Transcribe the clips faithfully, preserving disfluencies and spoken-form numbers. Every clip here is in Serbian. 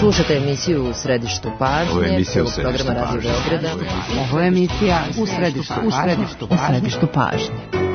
Slušate emisiju U središtu pažnje. Ovo je emisija U središtu pažnje. Ovo je emisija U središtu pažnje. U središtu pažnje.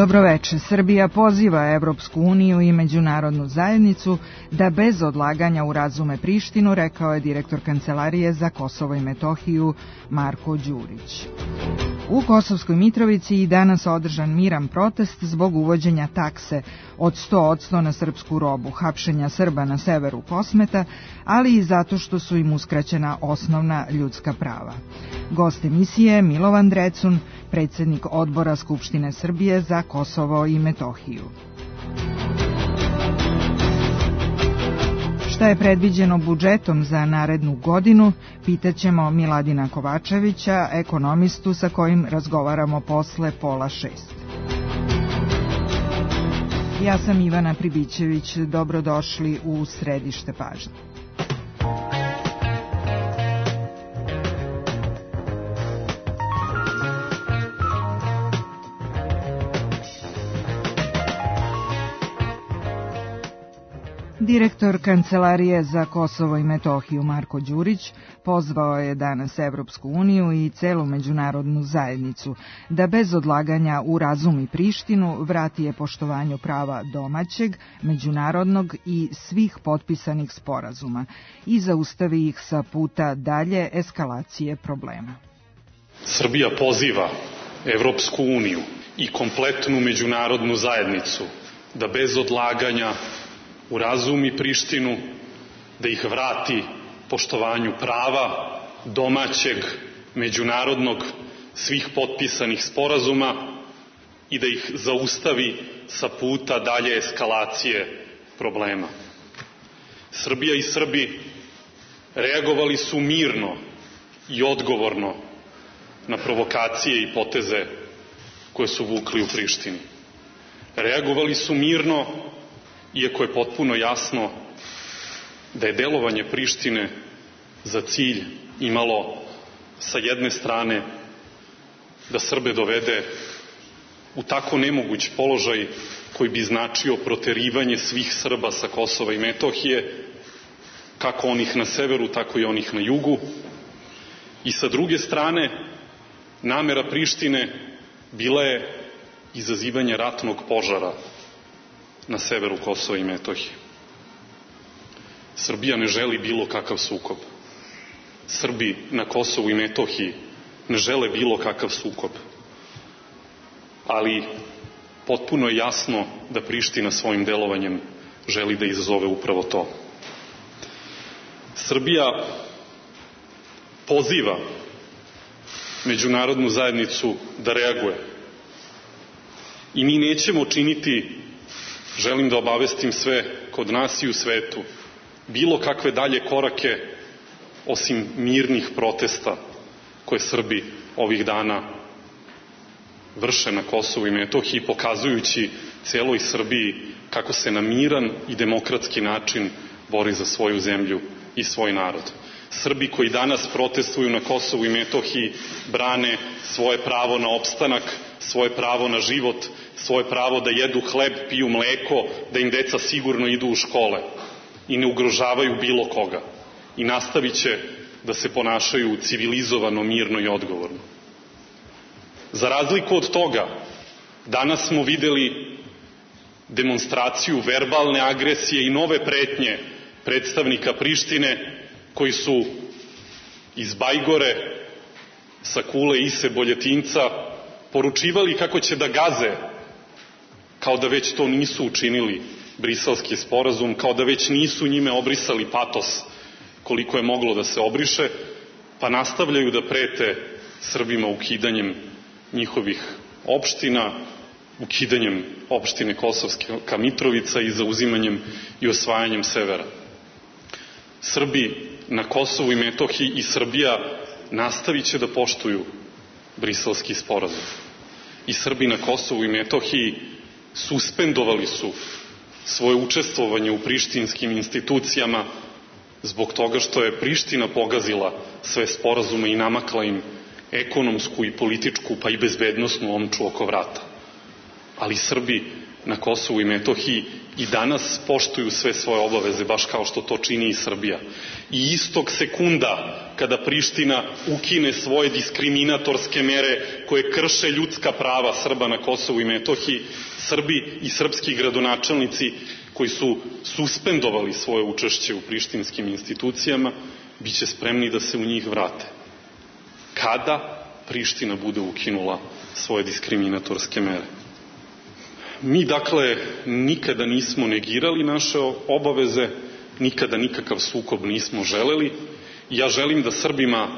Dobroveče. Srbija poziva Evropsku uniju i međunarodnu zajednicu da bez odlaganja urazume Prištinu, rekao je direktor Kancelarije za Kosovo i Metohiju Marko Đurić. U Kosovskoj Mitrovici i danas održan miran protest zbog uvođenja takse od sto posto na srpsku robu, hapšenja Srba na severu Kosmeta, ali i zato što su im uskraćena osnovna ljudska prava. Gost emisije Milovan Drecun, predsjednik Odbora Skupštine Srbije za Kosovo i Metohiju. Šta je predviđeno budžetom za narednu godinu, pitaćemo Miladina Kovačevića, ekonomistu sa kojim razgovaramo posle pola šest. Ja sam Ivana Pribićević, dobrodošli u središte pažnje. Direktor Kancelarije za Kosovo i Metohiju Marko Đurić pozvao je danas Evropsku uniju i celu međunarodnu zajednicu da bez odlaganja urazumi Prištinu, vrati je poštovanju prava domaćeg, međunarodnog i svih potpisanih sporazuma i zaustavi ih sa puta dalje eskalacije problema. Srbija poziva Evropsku uniju i kompletnu međunarodnu zajednicu da bez odlaganja urazumi Prištinu, da ih vrati poštovanju prava domaćeg, međunarodnog, svih potpisanih sporazuma i da ih zaustavi sa puta dalje eskalacije problema. Srbija i Srbi reagovali su mirno i odgovorno na provokacije i poteze koje su vukli u Prištini. Reagovali su mirno, iako je potpuno jasno da je delovanje Prištine za cilj imalo sa jedne strane da Srbe dovede u tako nemoguć položaj koji bi značio proterivanje svih Srba sa Kosova i Metohije, kako onih na severu, tako i onih na jugu. I sa druge strane, namera Prištine bila je izazivanje ratnog požara na severu Kosova i Metohije. Srbija ne želi bilo kakav sukob. Srbi na Kosovu i Metohiji ne žele bilo kakav sukob. Ali potpuno je jasno da Priština svojim delovanjem želi da izazove upravo to. Srbija poziva međunarodnu zajednicu da reaguje. I mi nećemo činiti, želim da obavestim sve kod nas i u svetu, bilo kakve dalje korake osim mirnih protesta koje Srbi ovih dana vrše na Kosovu i Metohiji, pokazujući celoj Srbiji kako se na miran i demokratski način bori za svoju zemlju i svoj narod. Srbi koji danas protestuju na Kosovu i Metohiji brane svoje pravo na opstanak, svoje pravo na život, svoje pravo da jedu hleb, piju mleko, da im deca sigurno idu u škole i ne ugrožavaju bilo koga. I nastavit će da se ponašaju civilizovano, mirno i odgovorno. Za razliku od toga, danas smo videli demonstraciju verbalne agresije i nove pretnje predstavnika Prištine koji su iz Bajgore, sa Kule Ise Boljetinca poručivali kako će da gaze, kao da već to nisu učinili, Briselski sporazum, kao da već nisu njime obrisali patos koliko je moglo da se obriše, pa nastavljaju da prete Srbima ukidanjem njihovih opština, ukidanjem opštine Kosovska Mitrovica i zauzimanjem i osvajanjem severa. Srbi na Kosovu i Metohiji i Srbija nastavit će da poštuju Briselski sporazum. I Srbi na Kosovu i Metohiji suspendovali su svoje učestvovanje u prištinskim institucijama zbog toga što je Priština pogazila sve sporazume i namakla im ekonomsku i političku pa i bezbednosnu omču oko vrata. Ali Srbi na Kosovu i Metohiji i danas poštuju sve svoje obaveze, baš kao što to čini i Srbija. I istog sekunda kada Priština ukine svoje diskriminatorske mere koje krše ljudska prava Srba na Kosovu i Metohiji, Srbi i srpski gradonačelnici koji su suspendovali svoje učešće u prištinskim institucijama, bit će spremni da se u njih vrate. Kada Priština bude ukinula svoje diskriminatorske mere. Mi, dakle, nikada nismo negirali naše obaveze, nikada nikakav sukob nismo želeli. Ja želim da Srbima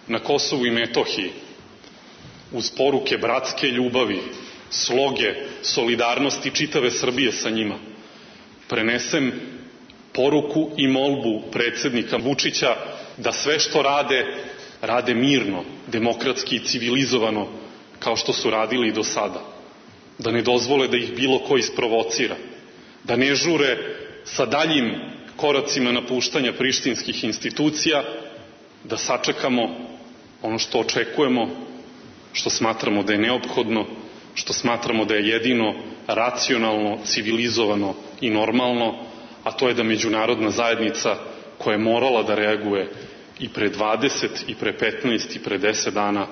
na Kosovu i Metohiji uz poruke bratske ljubavi, sloge, solidarnosti čitave Srbije sa njima prenesem poruku i molbu predsednika Vučića da sve što rade, rade mirno, demokratski i civilizovano, kao što su radili i do sada. Da ne dozvole da ih bilo ko isprovocira, da ne žure sa daljim koracima napuštanja prištinskih institucija, da sačekamo ono što očekujemo, što smatramo da je neophodno, što smatramo da je jedino racionalno, civilizovano i normalno, a to je da međunarodna zajednica koja je morala da reaguje i pre dvadeset, i pre petnaest, i pre deset dana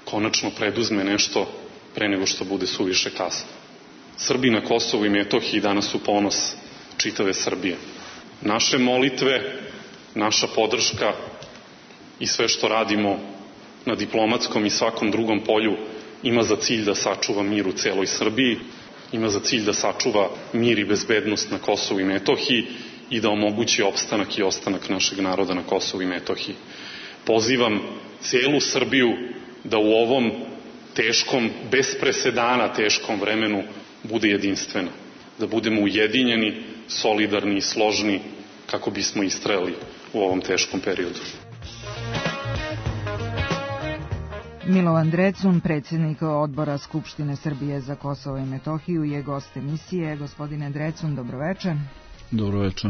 konačno preduzme nešto pre nego što bude suviše kasno. Srbi na Kosovu i Metohiji danas su ponos čitave Srbije. Naše molitve, naša podrška i sve što radimo na diplomatskom i svakom drugom polju ima za cilj da sačuva mir u celoj Srbiji, ima za cilj da sačuva mir i bezbednost na Kosovu i Metohiji i da omogući opstanak i ostanak našeg naroda na Kosovu i Metohiji. Pozivam celu Srbiju da u ovom teškom, bez presedana teškom vremenu bude jedinstvena. Da budemo ujedinjeni, solidarni i složni kako bismo istrajali u ovom teškom periodu. Milovan Drecun, predsjednik odbora Skupštine Srbije za Kosovo i Metohiju, je gost emisije. Gospodine Drecun, dobroveče. Dobroveče.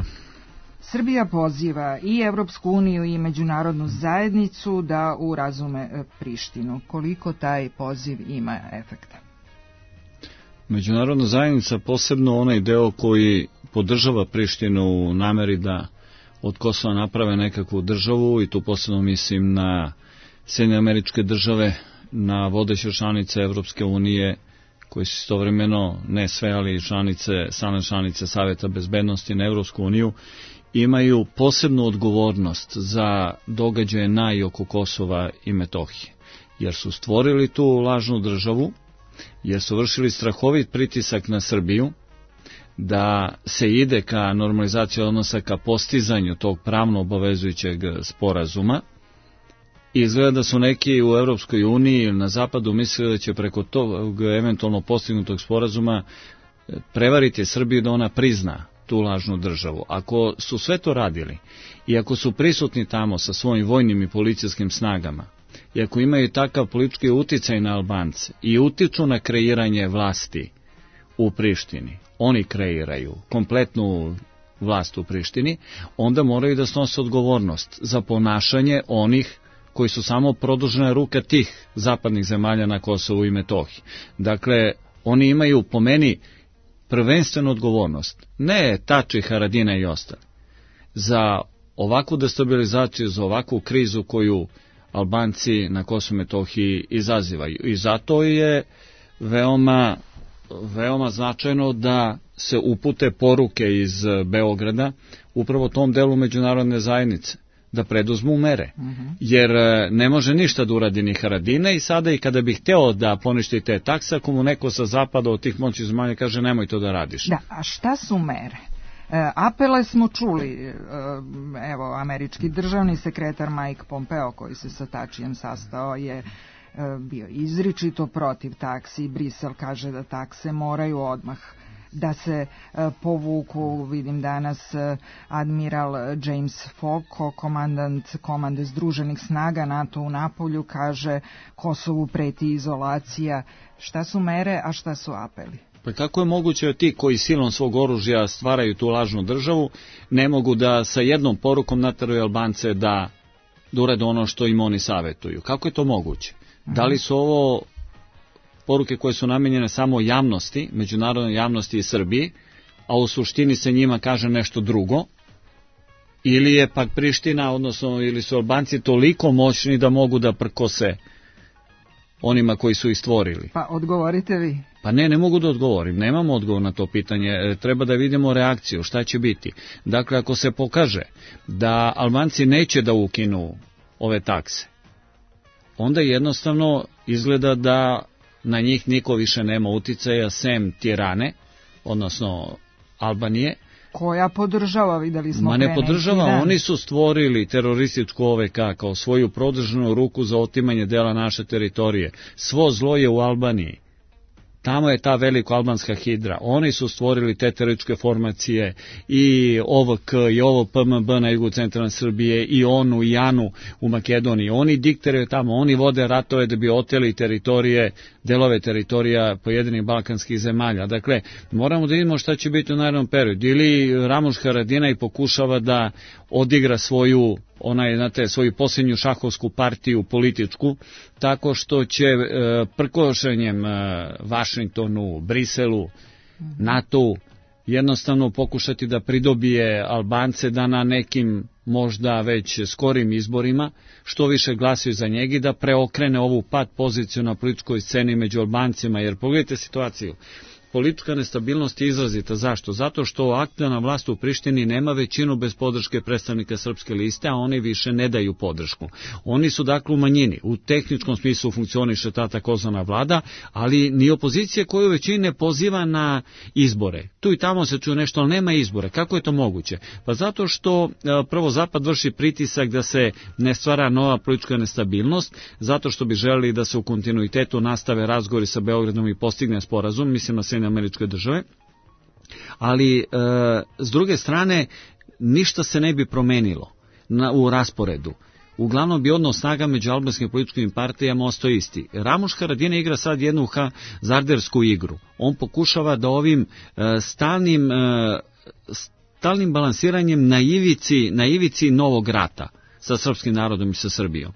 Srbija poziva i Evropsku uniju i međunarodnu zajednicu da urazume Prištinu. Koliko taj poziv ima efekta? Međunarodna zajednica, posebno onaj deo koji podržava Prištinu u nameri da od Kosova naprave nekakvu državu, i tu posebno mislim na Sjedinjene Američke Države, na vodeće članice Evropske unije, koji su istovremeno, ne sve, ali članice, same članice Saveta bezbednosti na Evropsku uniju, imaju posebnu odgovornost za događaje na i oko Kosova i Metohije, jer su stvorili tu lažnu državu, jer su vršili strahovit pritisak na Srbiju da se ide ka normalizaciji odnosa, ka postizanju tog pravno obavezujućeg sporazuma. I izgleda da su neki u Evropskoj uniji ili na zapadu mislili da će preko tog eventualno postignutog sporazuma prevariti Srbiju da ona prizna tu lažnu državu. Ako su sve to radili i ako su prisutni tamo sa svojim vojnim i policijskim snagama, i ako imaju takav politički uticaj na Albance i utiču na kreiranje vlasti u Prištini, oni kreiraju kompletnu vlast u Prištini, onda moraju da snose odgovornost za ponašanje onih koji su samo produžena ruka tih zapadnih zemalja na Kosovu i Metohiji. Dakle, oni imaju po meni prvenstvenu odgovornost, ne Tači, Haradina i ostali, za ovakvu destabilizaciju, za ovakvu krizu koju Albanci na Kosovu i Metohiji izazivaju. I zato je veoma, veoma značajno da se upute poruke iz Beograda upravo tom delu međunarodne zajednice, da preduzmu mere, jer ne može ništa da uradi ni Haradina, i sada i kada bih hteo da poništi te takse, ako mu neko sa zapada od tih moćnih zemalja kaže nemoj to da radiš. Da, a šta su mere? E, apele smo čuli, e, evo, američki državni sekretar Mike Pompeo, koji se sa Tačijem sastao, je bio izričito protiv taksi. Brisel kaže da takse moraju odmah da se povuku. Vidim danas admiral James Falko, komandant komande Združenih snaga NATO u Napolju, kaže Kosovu preti izolacija. Šta su mere, a šta su apeli? Pa kako je moguće da ti koji silom svog oružja stvaraju tu lažnu državu ne mogu da sa jednom porukom nateraju Albance da, da urade ono što im oni savjetuju? Kako je to moguće? Da li su ovo poruke koje su namenjene samo javnosti, međunarodnoj javnosti i Srbiji, a u suštini se njima kaže nešto drugo, ili je pak Priština, odnosno ili su Albanci toliko moćni da mogu da prkose onima koji su ih stvorili? Pa odgovorite vi. Pa ne, ne mogu da odgovorim, nemamo odgovor na to pitanje, treba da vidimo reakciju, šta će biti. Dakle, ako se pokaže da Albanci neće da ukinu ove takse, onda jednostavno izgleda da na njih niko više nema uticaja sem Tirane, odnosno Albanije. Koja podržava, videli smo. Ma ne podržava, oni su stvorili terorističku O V K kao svoju produženu ruku za otimanje dela naše teritorije. Svo zlo je u Albaniji. Tamo je ta veliko albanska hidra. Oni su stvorili te terorističke formacije i O V K i ovo P M B na jugu centralne Srbije i ONU i ANU u Makedoniji. Oni diktiraju tamo, oni vode ratove da bi oteli teritorije, delove teritorija pojedinih balkanskih zemalja. Dakle, moramo da vidimo šta će biti u narednom periodu. Ili Ramuš Haradinaj pokušava da odigra svoju onaj, znate, svoju posljednju šahovsku partiju političku, tako što će e, prkošenjem e, Vašingtonu, Briselu, NATO jednostavno pokušati da pridobije Albance da na nekim možda već skorim izborima što više glasaju za njega i da preokrene ovu pad poziciju na političkoj sceni među Albancima, jer pogledajte situaciju. Politička nestabilnost je izrazita. Zašto? Zato što aktuelna vlast u Prištini nema većinu bez podrške predstavnika Srpske liste, a oni više ne daju podršku. Oni su dakle u manjini. U tehničkom smislu funkcioniše ta takozvana vlada, ali ni opozicija koju većini ne poziva na izbore. Tu i tamo se čuje nešto, ali nema izbore. Kako je to moguće? Pa zato što prvo Zapad vrši pritisak da se ne stvara nova politička nestabilnost, zato što bi želeli da se u kontinuitetu nastave razgovori sa Beogradom i postigne sporazum, mislim na Sjedinjene Američke Države, ali e, s druge strane ništa se ne bi promenilo na, u rasporedu. Uglavnom bi odnos snaga među albanskim političkim partijama ostao isti. Ramuš Haradinaj igra sad jednu hazardersku igru. On pokušava da ovim e, stalnim, e, stalnim balansiranjem na ivici, na ivici novog rata sa srpskim narodom i sa Srbijom,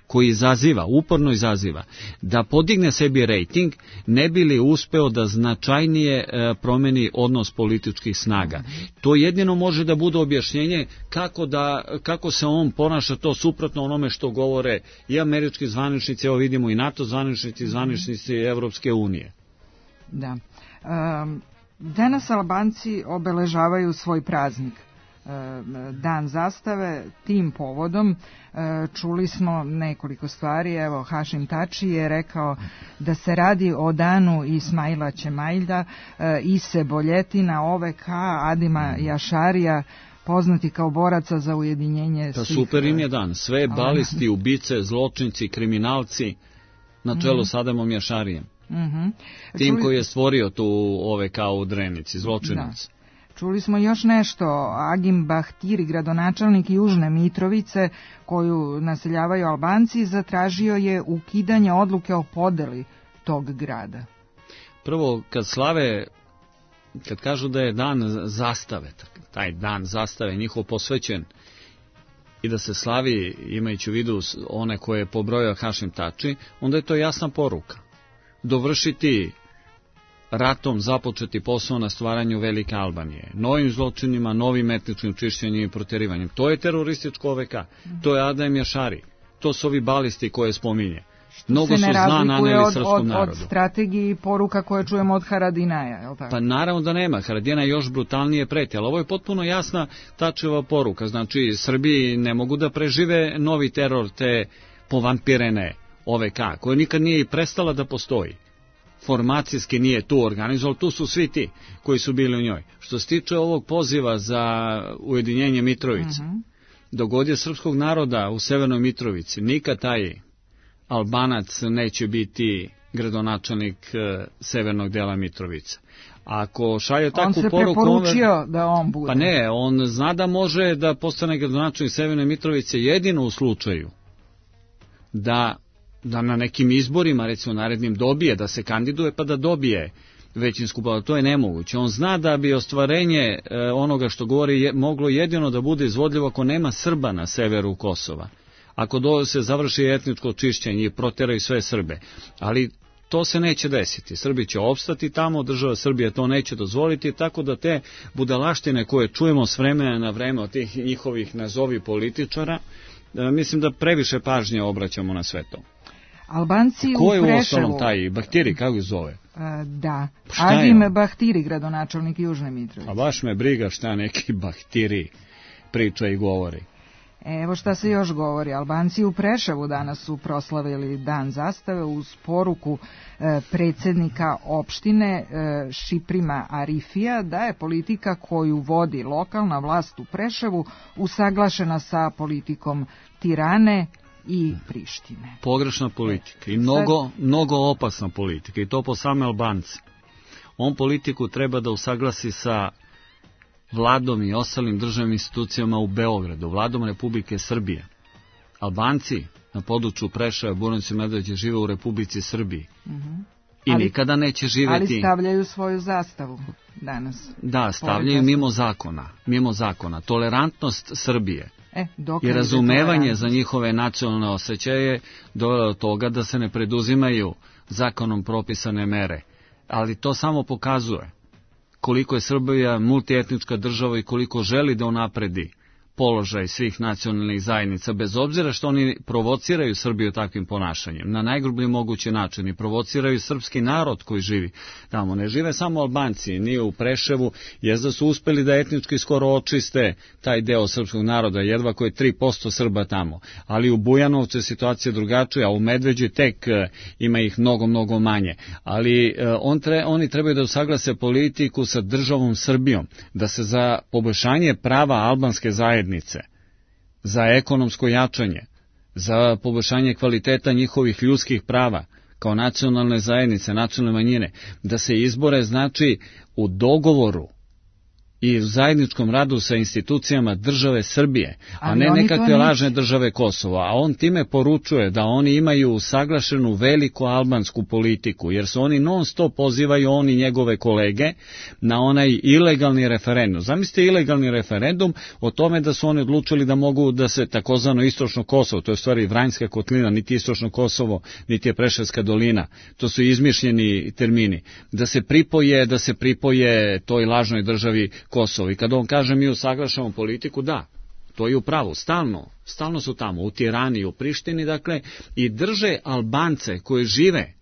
koji izaziva, uporno izaziva, da podigne sebi rejting, ne bi li uspeo da značajnije promeni odnos političkih snaga. To jedino može da bude objašnjenje kako, da, kako se on ponaša to suprotno onome što govore i američki zvaničnici, evo vidimo i NATO zvaničnici, zvaničnici Evropske unije. Da. Um, danas Albanci obeležavaju svoj praznik, Dan zastave. Tim povodom čuli smo nekoliko stvari. Evo, Hašim Tači je rekao da se radi o danu Ismaila Čemailja, Ise Boljetina, O V K, Adima Jašarija, poznati kao boraca za ujedinjenje pa svih... Super im je dan. Sve balisti, ubice, zločinci, kriminalci na čelu mm. s Adamom Jašarijem. Mm-hmm. Tim čuli... koji je stvorio tu O V K u Drenici, zločinac. Da. Čuli smo još nešto. Agim Bahtiri, gradonačelnik Južne Mitrovice, koju naseljavaju Albanci, zatražio je ukidanje odluke o podeli tog grada. Prvo, kad slave, kad kažu da je dan zastave, taj dan zastave njihov posvećen i da se slavi imajući u vidu one koje je pobrojao Hašim Tači, onda je to jasna poruka. Dovršiti ratom započeti posao na stvaranju Velike Albanije, novim zločinima, novim etničkim čišćenjem i protjerivanjem. To je terorističko O V K, to je Adam Jašari, to su ovi balisti koje spominje. Mnogo su zla naneli srpskom narodu. Od strategiji poruka koje čujemo od Haradinaja, je li tako? Pa naravno da nema, Haradinaj još brutalnije preti, ali ovo je potpuno jasna Tačeva poruka. Znači, Srbiji ne mogu da prežive novi teror te povampirene O V K, koja nikad nije i prestala da postoji. Formacijski nije tu organizoval, tu su svi ti koji su bili u njoj. Što se tiče ovog poziva za ujedinjenje Mitrovice, uh-huh. dogodje srpskog naroda u Severnoj Mitrovici, nikad taj Albanac neće biti gradonačelnik severnog dela Mitrovice. Ako šalje takvu poruku... On se preporučio da on bude. Pa ne, on zna da može da postane gradonačelnik severne Mitrovice jedino u slučaju da, da na nekim izborima, recimo narednim, dobije, da se kandiduje pa da dobije većinsku vladu. To je nemoguće. On zna da bi ostvarenje e, onoga što govori je, moglo jedino da bude izvodljivo ako nema Srba na severu Kosova. Ako do, se završi etničko čišćenje i proteraju sve Srbe. Ali to se neće desiti. Srbi će opstati tamo, država Srbija to neće dozvoliti, tako da te budalaštine koje čujemo s vremena na vreme od tih njihovih nazovi političara, e, mislim da previše pažnje obraćamo na sve to. Albanci u Preševu... Ko je u ostalom taj Bahtiri, kako je zove? A, da, pa Agim Bahtiri, gradonačelnik Južne Mitrovice. A baš me briga šta neki Bahtiri priča i govori. Evo šta se još govori. Albanci u Preševu danas su proslavili Dan zastave uz poruku e, predsjednika opštine e, Šiprima Arifija da je politika koju vodi lokalna vlast u Preševu usaglašena sa politikom Tirane i Prištine. Pogrešna politika i mnogo, Sad... mnogo opasna politika i to po same Albance. On politiku treba da usaglasi sa vladom i ostalim državnim institucijama u Beogradu, vladom Republike Srbije. Albanci na području Preševa, Bujanovca i Medveđe žive u Republici Srbiji. Uh-huh. I ali, nikada neće živjeti... Ali stavljaju svoju zastavu danas. Da, stavljaju mimo zakona. Mimo zakona. Tolerantnost Srbije e, i razumevanje za njihove nacionalne osjećaje dovelo do toga da se ne preduzimaju zakonom propisane mere. Ali to samo pokazuje koliko je Srbija multietnička država i koliko želi da unapredi položaj svih nacionalnih zajednica, bez obzira što oni provociraju Srbiju takvim ponašanjem, na najgrublji mogući način i provociraju srpski narod koji živi tamo. Ne žive samo Albanci, nije u Preševu, jezda su uspeli da etnički skoro očiste taj deo srpskog naroda, jedva koje tri posto Srba tamo, ali u Bujanovcu je situacija drugačija, a u Medveđi tek ima ih mnogo, mnogo manje. Ali on tre, oni trebaju da usaglase politiku sa državom Srbijom, da se za poboljšanje prava albanske zajednice, za ekonomsko jačanje, za poboljšanje kvaliteta njihovih ljudskih prava kao nacionalne zajednice, nacionalne manjine, da se izbore znači u dogovoru i u zajedničkom radu sa institucijama države Srbije, a ne nekakve lažne države Kosova. A on time poručuje da oni imaju usaglašenu veliku albansku politiku, jer se oni non stop pozivaju, oni njegove kolege, na onaj ilegalni referendum. Zamislite ilegalni referendum o tome da su oni odlučili da mogu da se takozvano istočno Kosovo, to je u stvari Vranjska kotlina, niti istočno Kosovo, niti je Preševska dolina, to su izmišljeni termini, da se pripoje, da se pripoje toj lažnoj državi Kosovo. I kada on kaže mi usaglašamo politiku, da, to je u pravu, stalno, stalno su tamo, u Tirani i u Prištini, dakle, i drže Albance koji žive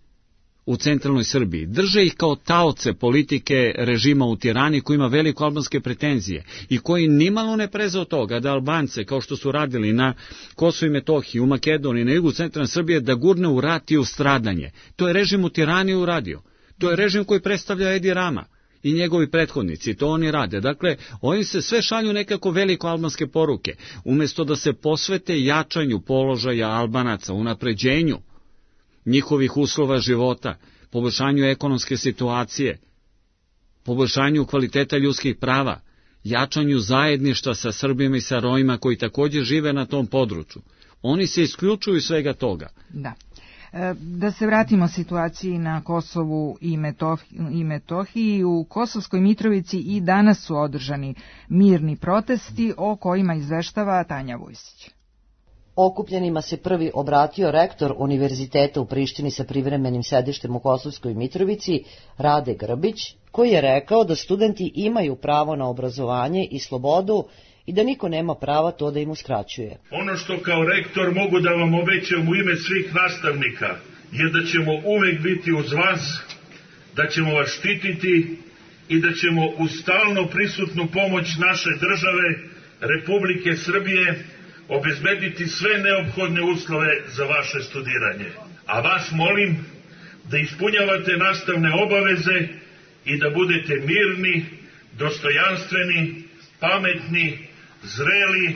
u centralnoj Srbiji, drže ih kao taoce politike režima u Tirani koji ima veliko albanske pretenzije i koji nimalo ne preze od toga da Albance, kao što su radili na Kosovu i Metohiji, u Makedoniji, na jugu centralne Srbije, da gurne u rat i u stradanje. To je režim u Tirani uradio. To je režim koji predstavlja Edi Rama i njegovi prethodnici, to oni rade. Dakle, oni se sve šalju nekako veliko albanske poruke, umjesto da se posvete jačanju položaja Albanaca, unapređenju njihovih uslova života, poboljšanju ekonomske situacije, poboljšanju kvaliteta ljudskih prava, jačanju zajedništva sa Srbima i sa Romima koji također žive na tom području. Oni se isključuju svega toga. Da. Da se vratimo situaciji na Kosovu i Metohiji, i Metohiji. U Kosovskoj Mitrovici i danas su održani mirni protesti o kojima izveštava Tanja Vujsić. Okupljenima se prvi obratio rektor Univerziteta u Prištini sa privremenim sedištem u Kosovskoj Mitrovici, Rade Grbić, koji je rekao da studenti imaju pravo na obrazovanje i slobodu i da niko nema prava to da im uskraćuje. Ono što kao rektor mogu da vam obećam u ime svih nastavnika je da ćemo uvek biti uz vas, da ćemo vas štititi i da ćemo uz stalno prisutnu pomoć naše države, Republike Srbije, obezbediti sve neophodne uslove za vaše studiranje. A vas molim da ispunjavate nastavne obaveze i da budete mirni, dostojanstveni, pametni, zreli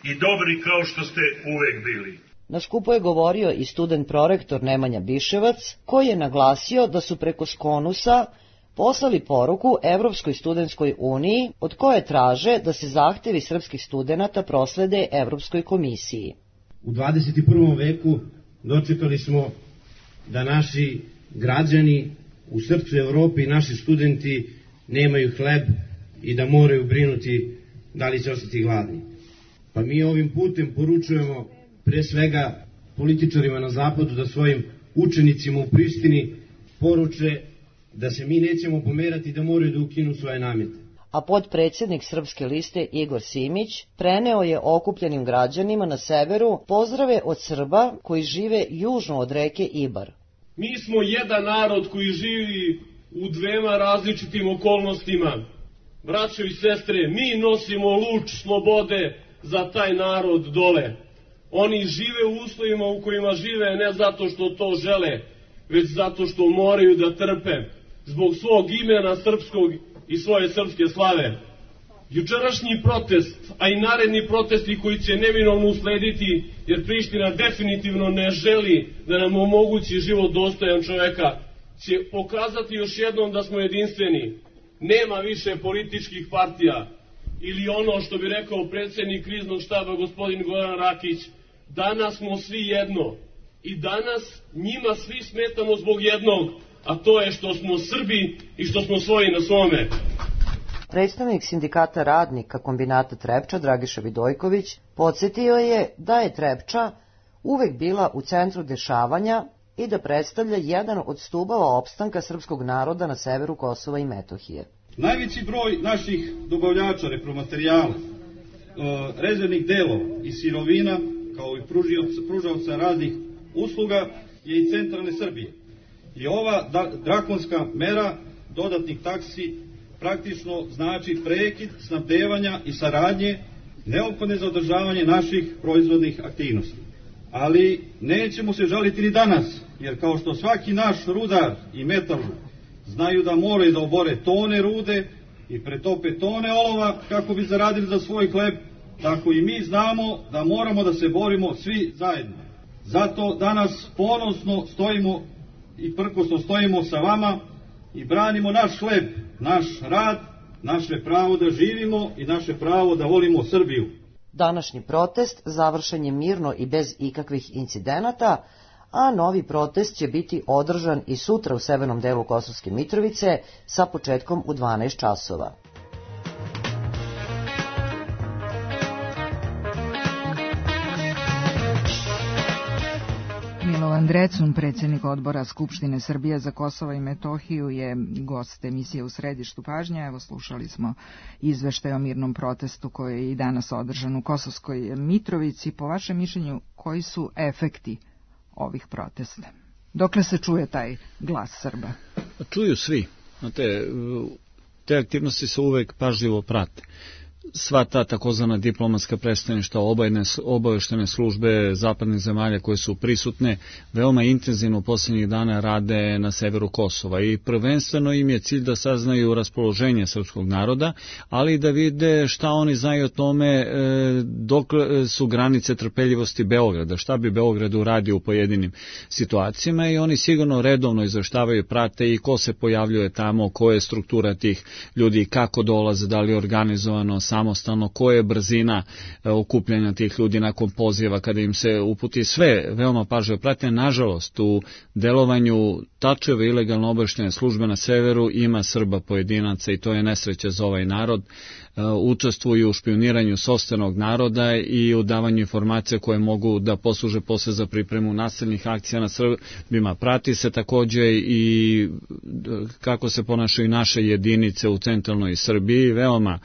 i dobri kao što ste uvek bili. Na skupu je govorio i student prorektor Nemanja Biševac, koji je naglasio da su preko Skonusa poslali poruku Evropskoj studentskoj uniji od koje traže da se zahtevi srpskih studenata proslede Evropskoj komisiji. U dvadeset prvom veku dočekali smo da naši građani u srcu Evrope i naši studenti nemaju hleb i da moraju brinuti da li će ostati gladni. Pa mi ovim putem poručujemo pre svega političarima na zapadu da svojim učenicima u Prištini poruče da se mi nećemo pomerati da moraju da ukinu svoje namete. A podpredsjednik Srpske liste Igor Simić preneo je okupljenim građanima na severu pozdrave od Srba koji žive južno od reke Ibar. Mi smo jedan narod koji živi u dvema različitim okolnostima. Braćo i sestre, mi nosimo luč slobode za taj narod dole. Oni žive u uslovima u kojima žive ne zato što to žele, već zato što moraju da trpe zbog svog imena srpskog i svoje srpske slave. Jučerašnji protest, a i naredni protesti koji će neminovno uslediti, jer Priština definitivno ne želi da nam omogući život dostojan čoveka, će pokazati još jednom da smo jedinstveni. Nema više političkih partija, ili ono što bi rekao predsjednik kriznog štaba gospodin Goran Rakić, danas smo svi jedno i danas njima svi smetamo zbog jednog, a to je što smo Srbi i što smo svoji na svome. Predstavnik sindikata radnika kombinata Trepča Dragiša Vidojković podsjetio je da je Trepča uvek bila u centru dešavanja i da predstavlja jedan od stubova opstanka srpskog naroda na severu Kosova i Metohije. Najveći broj naših dobavljača repromaterijala, rezervnih delova i sirovina, kao i pružaoca raznih usluga, je iz centralne Srbije. I ova drakonska mera dodatnih taksi praktično znači prekid snabdevanja i saradnje neophodne za održavanje naših proizvodnih aktivnosti. Ali nećemo se žaliti ni danas, jer kao što svaki naš rudar i metalurg znaju da moraju da obore tone rude i pretope tone olova kako bi zaradili za svoj hleb, tako i mi znamo da moramo da se borimo svi zajedno. Zato danas ponosno stojimo i prkosno stojimo sa vama i branimo naš hleb, naš rad, naše pravo da živimo i naše pravo da volimo Srbiju. Današnji protest završen je mirno i bez ikakvih incidenata, a novi protest će biti održan i sutra u severnom delu Kosovske Mitrovice sa početkom u dvanaest časova. Milovan Drecun, predsjednik odbora Skupštine Srbije za Kosovo i Metohiju, je gost emisije U središtu pažnje. Evo, slušali smo izveštaj o mirnom protestu koji je i danas održan u Kosovskoj Mitrovici. Po vašem mišljenju, koji su efekti ovih protesta? Dokle se čuje taj glas Srba? Čuju svi. Znate, te aktivnosti se uvek pažljivo prate. Sva ta takozvana diplomatska predstavništva, obaveštene službe zapadnih zemalja koje su prisutne veoma intenzivno posljednjih dana rade na severu Kosova i prvenstveno im je cilj da saznaju raspoloženje srpskog naroda, ali i da vide šta oni znaju o tome dok su granice trpeljivosti Beograda, šta bi Beograd uradio u pojedinim situacijama, i oni sigurno redovno izveštavaju, prate i ko se pojavljuje tamo, koja je struktura tih ljudi, kako dolaze, da li je organizovano, samostalno, koja je brzina okupljanja tih ljudi nakon poziva kada im se uputi, sve veoma pažljivo prate. Nažalost, u delovanju Tačeve ilegalno obaveštene službe na severu ima Srba pojedinaca i to je nesreća za ovaj narod. Učestvuju u špioniranju sopstvenog naroda i u davanju informacija koje mogu da posluže posle za pripremu nasilnih akcija na Srbima. Prati se takođe i kako se ponašaju naše jedinice u centralnoj Srbiji, veoma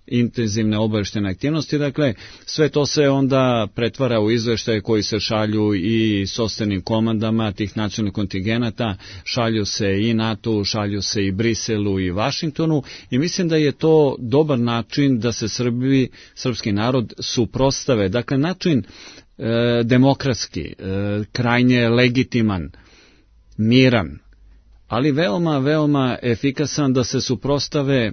intenzivne obaveštene aktivnosti. Dakle, sve to se onda pretvara u izveštaje koji se šalju i sopstvenim komandama tih nacionalnih kontingenata, šalju se i NATO, šalju se i Briselu i Vašingtonu, i mislim da je to dobar način da se Srbi, srpski narod suprotstave. Dakle, način e, demokratski, e, krajnje legitiman, miran, ali veoma, veoma efikasan da se suprotstave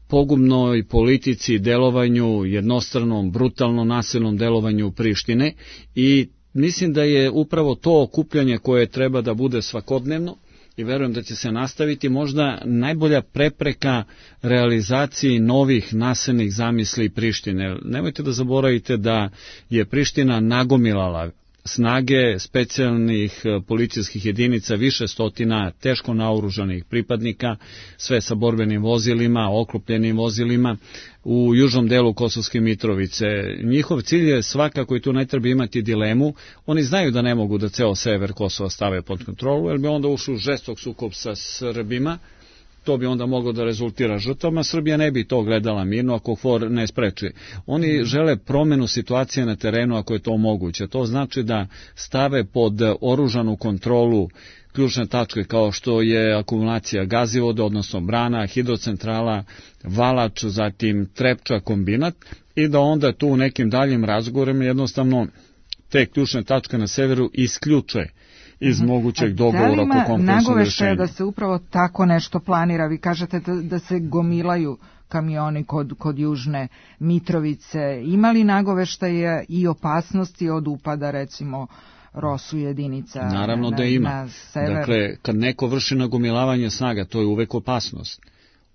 pogubnoj politici, delovanju, jednostranom, brutalno nasilnom delovanju Prištine, i mislim da je upravo to okupljanje koje treba da bude svakodnevno i verujem da će se nastaviti možda najbolja prepreka realizaciji novih nasilnih zamisli Prištine. Nemojte da zaboravite da je Priština nagomilala snage specijalnih policijskih jedinica, više stotina teško naoružanih pripadnika, sve sa borbenim vozilima, oklopljenim vozilima u južnom delu Kosovske Mitrovice. Njihov cilj je svakako, i tu ne treba imati dilemu, oni znaju da ne mogu da ceo sever Kosova stave pod kontrolu, jer bi onda ušli u žestok sukob sa Srbima, to bi onda moglo da rezultira žrtvama, Srbija ne bi to gledala mirno ako KFOR ne spreči. Oni žele promenu situacije na terenu ako je to moguće. To znači da stave pod oružanu kontrolu ključne tačke kao što je akumulacija gazivoda, odnosno brana, hidrocentrala, Valač, zatim Trepča, kombinat, i da onda tu u nekim daljim razgovorima jednostavno te ključne tačke na severu isključe iz mogućeg dogovora oko kompromisnog rješenja. Da se upravo tako nešto planira? Vi kažete da, da se gomilaju kamioni kod, kod Južne Mitrovice. Ima li nagoveštaje i opasnosti od upada, recimo, Rosu jedinica? Naravno na, da ima. Na sever? Dakle, kad neko vrši nagomilavanje snaga, to je uvek opasnost.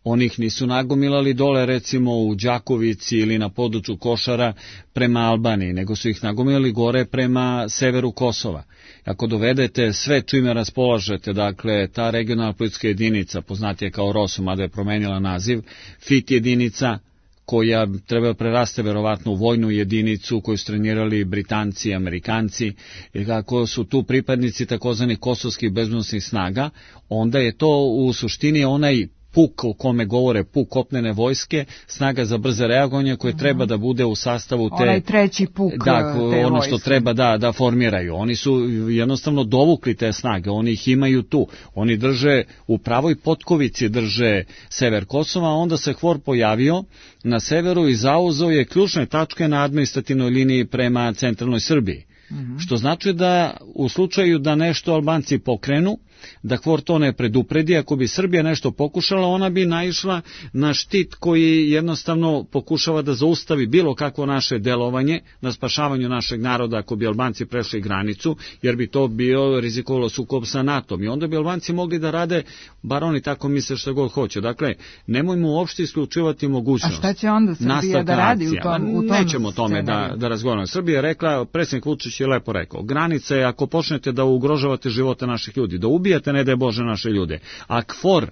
Oni ih nisu nagomilali dole, recimo u Đakovici ili na području Košara prema Albaniji, nego su ih nagomilali gore prema severu Kosova. Ako dovedete sve čime raspolažete, dakle, ta regionalna policijska jedinica, poznatija kao ROSU, mada je promenila naziv, F I T jedinica, koja treba preraste verovatno u vojnu jedinicu koju su trenirali Britanci i Amerikanci, i kako su tu pripadnici takozvanih kosovskih bezbednosnih snaga, onda je to u suštini onaj puk o kome govore, puk kopnene vojske, snaga za brze reagovanje koje treba da bude u sastavu te... Onaj treći puk da, te ono vojske. što treba da, da formiraju. Oni su jednostavno dovukli te snage, oni ih imaju tu. Oni drže, u pravoj potkovici drže sever Kosova, a onda se KFOR pojavio na severu i zauzeo je ključne tačke na administrativnoj liniji prema centralnoj Srbiji. Mm-hmm. Što znači da u slučaju da nešto Albanci pokrenu, da KFOR to ne predupredi, ako bi Srbija nešto pokušala, ona bi naišla na štit koji jednostavno pokušava da zaustavi bilo kakvo naše delovanje na spašavanju našeg naroda ako bi Albanci prešli granicu, jer bi to bio rizikovalo sukob sa NATO-om i onda bi Albanci mogli da rade, bar oni tako misle što god hoće. Dakle, nemojmo uopšte isključivati mogućnost. A šta će onda Srbija da radi u tom, u tom Nećemo tome da, da razgovaramo. Srbija je rekla, predsjednik Vučić je lepo rekao, granica je ako počnete da ugrožavate živote naših ljudi, da ubijate, ne daj Bože, naše ljude, a KFOR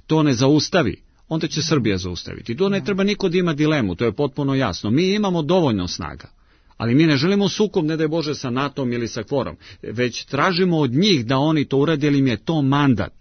to ne zaustavi, onda će Srbija zaustaviti. To ne treba niko da ima dilemu, to je potpuno jasno. Mi imamo dovoljno snaga, ali mi ne želimo sukob, ne daj Bože, sa NATO-om ili sa KFOR-om, već tražimo od njih da oni to urade, jer im je to mandat.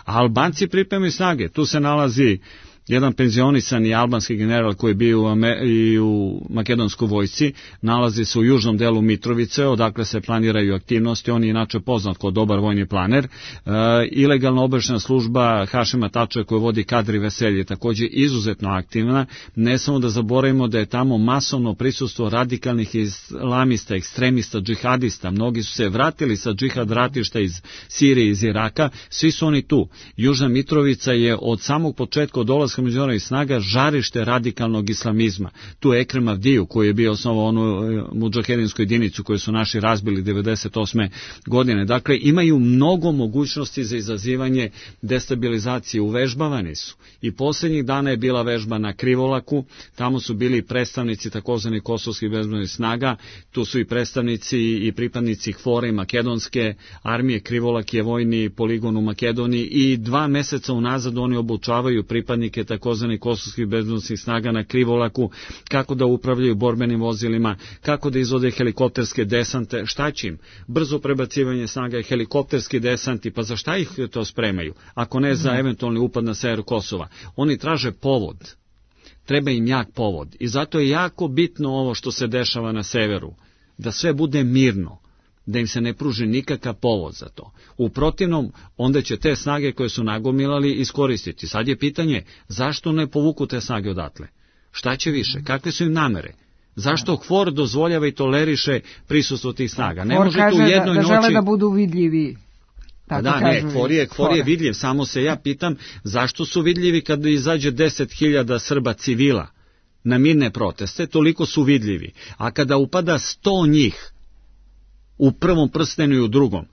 A Albanci pripremaju snage, tu se nalazi jedan penzionisani albanski general koji je bio u, i u makedonskoj vojsci, nalazi se u južnom delu Mitrovice, odakle se planiraju aktivnosti, on je inače poznat kao dobar vojni planer. E, ilegalna obaveštajna služba Hašima Tača koju vodi Kadri Veselje je također izuzetno aktivna. Ne samo da zaboravimo da je tamo masovno prisustvo radikalnih islamista, ekstremista, džihadista. Mnogi su se vratili sa džihad ratišta iz Sirije, iz Iraka, svi su oni tu. Južna Mitrovica je od samog početka od dolaska međunarodnih snaga žarište radikalnog islamizma. Tu je Ekrem Avdiju koji je bio osnovao onu mudžahedinsku jedinicu koju su naši razbili devedeset osme godine. Dakle, imaju mnogo mogućnosti za izazivanje destabilizacije. Uvežbavani su. I posljednjih dana je bila vežba na Krivolaku, tamo su bili predstavnici takozvanih kosovskih bezbednosnih snaga, tu su i predstavnici i pripadnici KFOR-a i makedonske armije. Krivolak je vojni poligon u Makedoniji i dva meseca unazad oni obučavaju pripadnike takozvanih kosovskih bezbednosnih snaga na Krivolaku, kako da upravljaju borbenim vozilima, kako da izvode helikopterske desante, šta će im? Brzo prebacivanje snaga i helikopterski desanti, pa za šta ih to spremaju? Ako ne za eventualni upad na sever Kosova. Oni traže povod. Treba im jak povod. I zato je jako bitno ovo što se dešava na severu. Da sve bude mirno. Da im se ne pruži nikakav povod za to. U protivnom, onda će te snage koje su nagomilali iskoristiti. Sad je pitanje, zašto ne povuku te snage odatle? Šta će više? Kakve su im namere? Zašto KFOR dozvoljava i toleriše prisustvo tih snaga? Ne može tu u jednoj da, da žele noći... da budu vidljivi. Tako da, ne, KFOR je, KFOR je vidljiv, samo se ja pitam zašto su vidljivi kada izađe deset hiljada Srba civila na mirne proteste, toliko su vidljivi. A kada upada sto njih, u prvom prstenu i u drugom,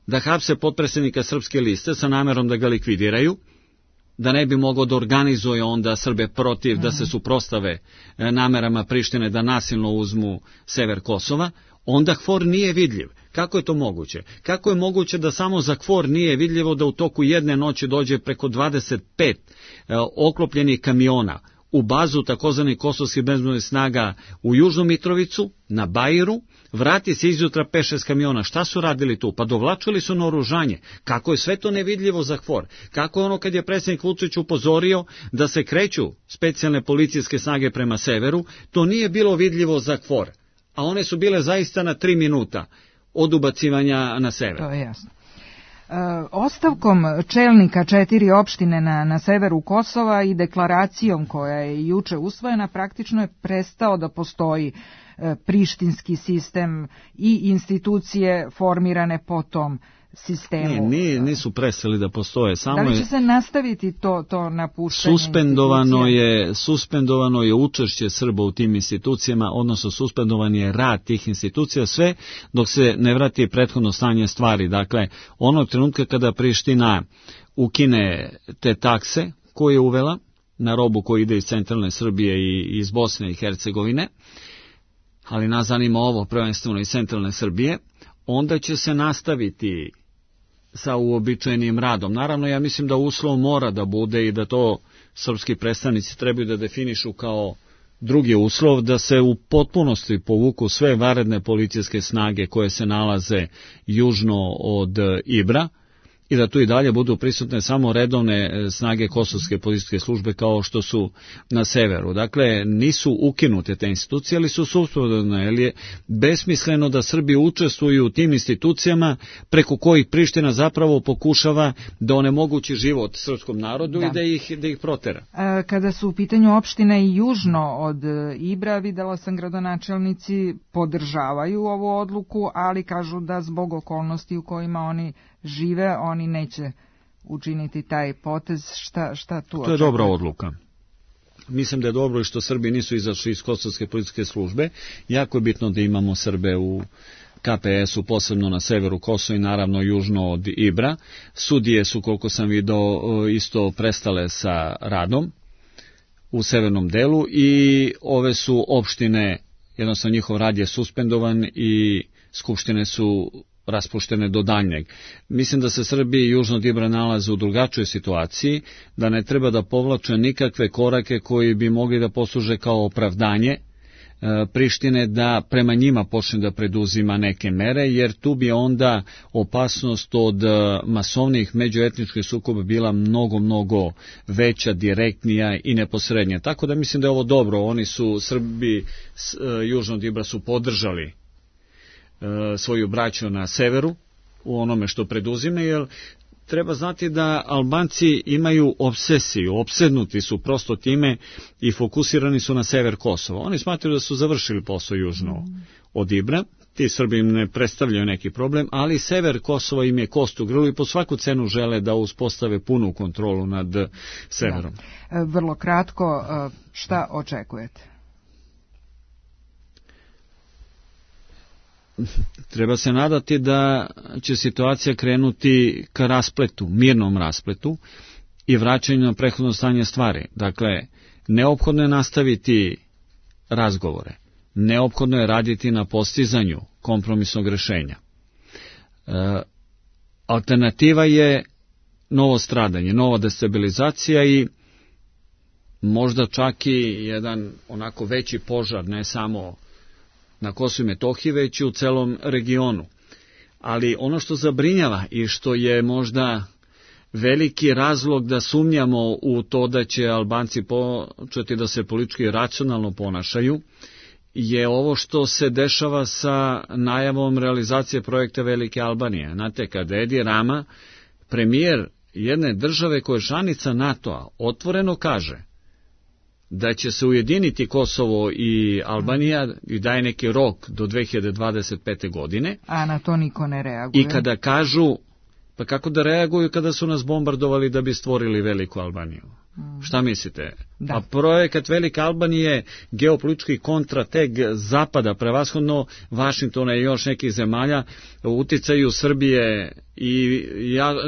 da hapse potpredsjednika Srpske liste sa namerom da ga likvidiraju, da ne bi mogao da organizuje onda Srbe protiv, da se suprostave namerama Prištine da nasilno uzmu sever Kosova, onda K F O R nije vidljiv. Kako je to moguće? Kako je moguće da samo za K F O R nije vidljivo da u toku jedne noći dođe preko dvadeset pet oklopljenih kamiona u bazu takozvanih kosovskih bezbednosnih snaga u Južnu Mitrovicu, na Bairu, vrati se izjutra pet šest kamiona. Šta su radili tu? Pa dovlačili su naoružanje. Kako je sve to nevidljivo za K F O R? Kako je ono kad je predsjednik Vučić upozorio da se kreću specijalne policijske snage prema severu, to nije bilo vidljivo za K F O R, a one su bile zaista na tri minuta od ubacivanja na sever. To je jasno. E, ostavkom čelnika četiri opštine na, na severu Kosova i deklaracijom koja je juče usvojena, praktično je prestao da postoji e, prištinski sistem i institucije formirane po tom sistemu. Ne, nije, nisu prestali da postoje. Samo da li će je, se nastaviti to, to napuštanje suspendovano je, suspendovano je učešće Srba u tim institucijama, odnosno suspendovan je rad tih institucija, sve dok se ne vrati prethodno stanje stvari. Dakle, onog trenutka kada Priština ukine te takse koje je uvela na robu koji ide iz centralne Srbije i iz Bosne i Hercegovine, ali nas zanima ovo prvenstveno iz centralne Srbije, onda će se nastaviti sa uobičajenim radom. Naravno, ja mislim da uslov mora da bude i da to srpski predstavnici trebaju da definišu kao drugi uslov, da se u potpunosti povuku sve vanredne policijske snage koje se nalaze južno od Ibra i da tu i dalje budu prisutne samo redovne snage kosovske policijske službe kao što su na severu. Dakle, nisu ukinute te institucije, ali su suspendovane, jer je besmisleno da Srbi učestvuju u tim institucijama preko kojih Priština zapravo pokušava da onemogući život srpskom narodu da. i da ih, da ih protera. Kada su u pitanju opštine i južno od Ibra, videla sam gradonačelnici podržavaju ovu odluku, ali kažu da zbog okolnosti u kojima oni žive, oni neće učiniti taj potez. Šta, šta tu očekuje? To je dobra odluka. Mislim da je dobro i što Srbi nisu izašli iz kosovske policijske službe. Jako je bitno da imamo Srbe u K P S-u, posebno na severu Kosova i naravno južno od Ibra. Sudije su, koliko sam vidio, isto prestale sa radom u severnom delu i ove su opštine, jednostavno njihov rad je suspendovan i skupštine su raspuštene do daljnjeg. Mislim da se Srbi južno od Ibra nalaze u drugačijoj situaciji, da ne treba da povlače nikakve korake koji bi mogli da posluže kao opravdanje Prištine da prema njima počne da preduzima neke mere, jer tu bi onda opasnost od masovnih međuetničkih sukoba bila mnogo, mnogo veća, direktnija i neposrednija. Tako da mislim da je ovo dobro. Oni su, Srbi južno od Ibra su podržali svoju braću na severu u onome što preduzime, jer treba znati da Albanci imaju obsesiju, opsednuti su prosto time i fokusirani su na sever Kosova. Oni smatraju da su završili posao južno od Ibra, ti Srbi im ne predstavljaju neki problem, ali sever Kosova im je kost u grlu i po svaku cenu žele da uspostave punu kontrolu nad severom. Da. Vrlo kratko, šta očekujete? Treba se nadati da će situacija krenuti ka raspletu, mirnom raspletu i vraćanju na prethodno stanje stvari. Dakle, neophodno je nastaviti razgovore, neophodno je raditi na postizanju kompromisnog rešenja. E, alternativa je novo stradanje, nova destabilizacija i možda čak i jedan onako veći požar, ne samo na Kosovu i Metohiji, već i u celom regionu. Ali ono što zabrinjava i što je možda veliki razlog da sumnjamo u to da će Albanci početi da se politički racionalno ponašaju, je ovo što se dešava sa najavom realizacije projekta Velike Albanije. Znate, kada Edi Rama, premijer jedne države koja je članica NATO-a, otvoreno kaže da će se ujediniti Kosovo i Albanija i daje neki rok do dve hiljade dvadeset pete. godine. A na to niko ne reaguje. I kada kažu, pa kako da reaguju kada su nas bombardovali da bi stvorili Veliku Albaniju? Mm. Šta mislite? Da. A projekat Velike Albanije geopolitički kontrateg zapada, prevashodno Vašingtona i još nekih zemalja, uticaju Srbije i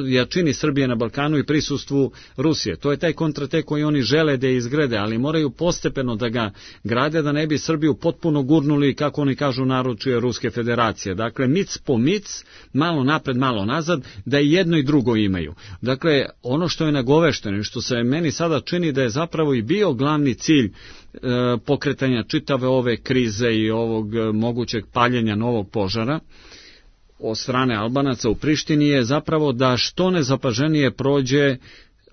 jačini Srbije na Balkanu i prisustvu Rusije. To je taj kontratek koji oni žele da izgrade, ali moraju postepeno da ga grade, da ne bi Srbiju potpuno gurnuli, kako oni kažu, naručuje Ruske federacije. Dakle, mic po mic, malo napred, malo nazad, da i jedno i drugo imaju. Dakle, ono što je nagovešteno i što se meni sada čini da je zapravo i bio glavni cilj e, pokretanja čitave ove krize i ovog mogućeg paljenja novog požara od strane Albanaca u Prištini je zapravo da što nezapaženije prođe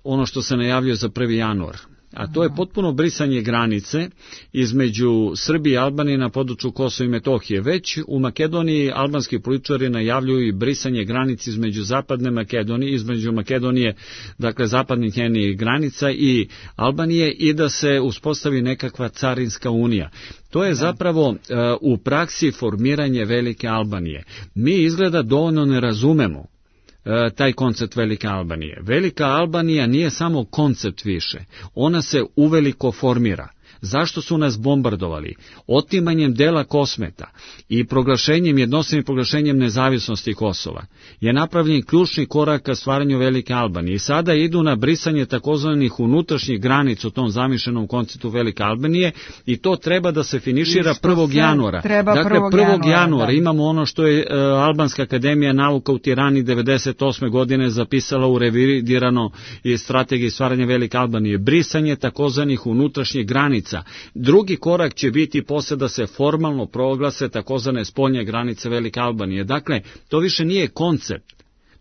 ono što se najavljuje za prvi januar. A to je potpuno brisanje granice između Srbije i Albanije na području Kosova i Metohije. Već u Makedoniji albanski političari najavljuju i brisanje granice između zapadne Makedonije, između Makedonije, dakle zapadnih njenih granica i Albanije, i da se uspostavi nekakva carinska unija. To je zapravo uh, u praksi formiranje Velike Albanije. Mi izgleda dovoljno ne razumemo taj koncept Velike Albanije. Velika Albanija nije samo koncept više, ona se uveliko formira. Zašto su nas bombardovali? Otimanjem dela Kosmeta i proglašenjem, jednostavnim proglašenjem nezavisnosti Kosova je napravljen ključni korak ka stvaranju Velike Albanije. I sada idu na brisanje takozvanih unutrašnjih granica u tom zamišljenom konceptu Velike Albanije i to treba da se finišira prvog januara. Dakle, prvog januara imamo ono što je uh, Albanska akademija nauka u Tirani devedeset osme godine zapisala u revidirano i strategiji stvaranja Velike Albanije. Brisanje takozvanih unutrašnjih granica. Drugi korak će biti posle da se formalno proglase takozvane spoljne granice Velike Albanije. Dakle, to više nije koncept,